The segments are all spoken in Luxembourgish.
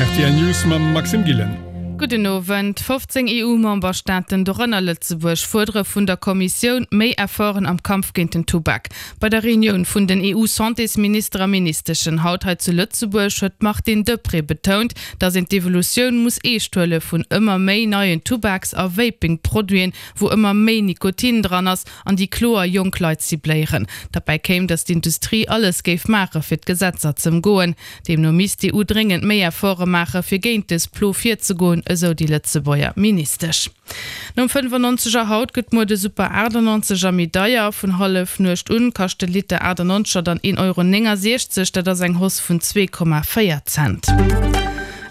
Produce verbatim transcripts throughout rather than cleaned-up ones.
R T L News mam Maxime Gillen. Gudden Owend. fofzéng E U-Memberstaaten, dorënner Lëtzebuerg, fuerdere vun der Kommissioun méi Efforten am Kampf géint den Tubak. Bei der Reunioun vun den E U-Santésminister a ministeschen haut hei zu Lëtzebuerg huet d'Martine Deprez betount, datt een d'Evolutioun muss eescht huele vun ëmmer méi neien Tubaks a Vaping-Produiten, wou ëmmer méi Nikotin dran ass an déi kloer jonk Leit cibléieren. Derbäi kéim, datt d'Industrie alles géif maache fir d'Gesetzer z'ëmgoen. Deemno misst d'E U dréngend méi Efforte maache fir géint dës Plo virzegoen, esou déi Lëtzebuerger Ministesch. Nom fënnefannonzeger haut gëtt muer de Super achtannonzeger méi deier. Vun Hallefnuecht un kascht de Liter achtannonzeger dann een Euro néngasechzeg, dat ass eng Hausse vun zwee Komma véier Cent.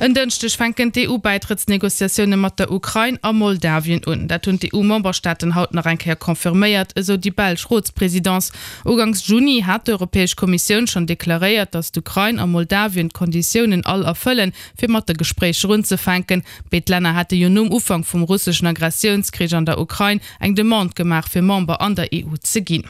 En Dënschdeg fänken d'E U-Bäitrëttsnegociatioune mat der Ukrain a Moldawien un. Dat hunn d'E U-Memberstaaten haut nach eng Kéier confirméiert, esou déi belsch Rotspresidence. Uganks Juni hat d'Europäesch Kommissioun schonn deklaréiert, datt d'Ukrain a Moldawien d'Konditiounen all erfëllen, fir mat de Gespréicher unzefänken. Béid Länner hate jo nom Ufank vum russeschen Aggressiounskrich an der Ukrain eng Demande gemaach, fir Member an der E U ze ginn.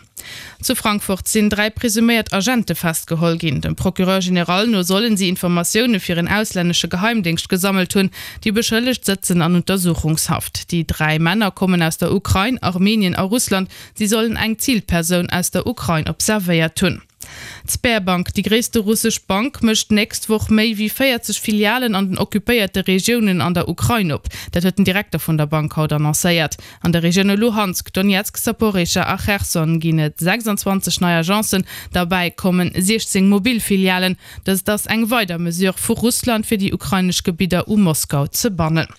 Zu Frankfurt sinn dräi presuméiert Agente festgeholl ginn. Dem Procureur général no sollen si Informatioune fir en auslännesche Geheimdéngscht gesammelt hunn. Déi Beschëllegt sëtzen an Untersuchungshaft. Déi dräi Männer kommen aus der Ukrain, Armenien a Russland. Si sollen eng Zilpersoun aus der Ukrain observéiert hunn. D'Sberbank, déi gréisste russesch Bank, mécht d'nächst Woch méi wéi véierzeg Filialen an den occupéierte Regiounen an der Ukrain op. Dat huet den Direkter vun der Bank haut annoncéiert. An de Regioune Luhansk, Donezk, Saporischschja a Cherson ginn et sechsanzwanzeg nei Agencen, derbäi kommen siechzéng mobil Filialen. Dëst ass eng weider Mesure vu Russland, fir déi ukrainesch Gebidder u Moskau ze bannen.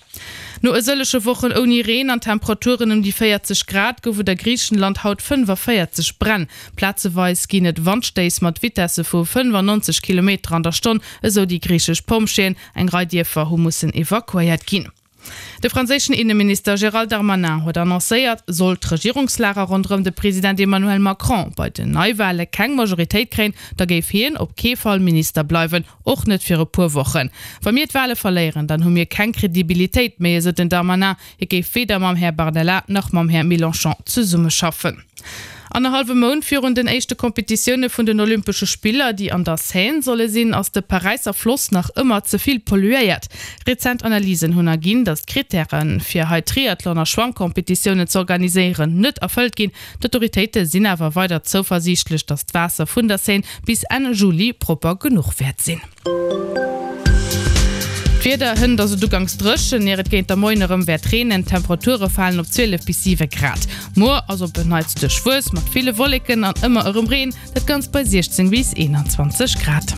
No e sëllege Wochen ouni Reen an Temperaturen ëm déi véierzeg Grad gouf et a Griichenland haut fënnefaféierzeg Bränn. Plazeweis ginn et Wandstéiss mat Vitesse vu fënnefannonzeg Kilometer an der Stonn, esou déi griichesch Pompjeeën. Eng Rei Dierfer hu mussen evakuéiert ginn. De franséischen Inneminister Gérald Darmanin huet annoncéiert, sollt d'Regierungslager ronderëm de President Emmanuel Macron bei den Neiwale keng Majoritéit kréien, da géif hien op kee Fall Minister bleiwen, och net fir e puer Wochen. Wa mir d'Wale verléieren, dann hu mir keng Kredibilitéit méi, esou den Darmanin. Hie géif weder mam Här Bardella nach mam Här Mélenchon zesummeschaffen. Annerhallwe Mount virun den éischte Kompetitioune vun den Olympesche Spiller, déi an der Seine solle sinn, ass de Paräisser Floss nach ëmmer ze vill polluéiert. Rezent Analysen hunn erginn, datt d'Krittäre fir hei Triathlon a Schwammkompetitiounen z'organiséieren net erfëllt ginn. D'Autoritéite sinn awer weider zouversiichtlech, datt d'Waasser vun der Seine bis Enn Juli propper genuch wäert sinn. D'Wieder, Hënt ass et uganks dréchen, ier et géint de Moien erëm wäert reenen. D'Temperature falen op zwielef bis siwe Grad. Muer ass op en Neits duerchwuess mat ville Wolleken an ëmmer erëm Reen, dat Ganzt bei siechzéng bis eenanzwanzeg Grad.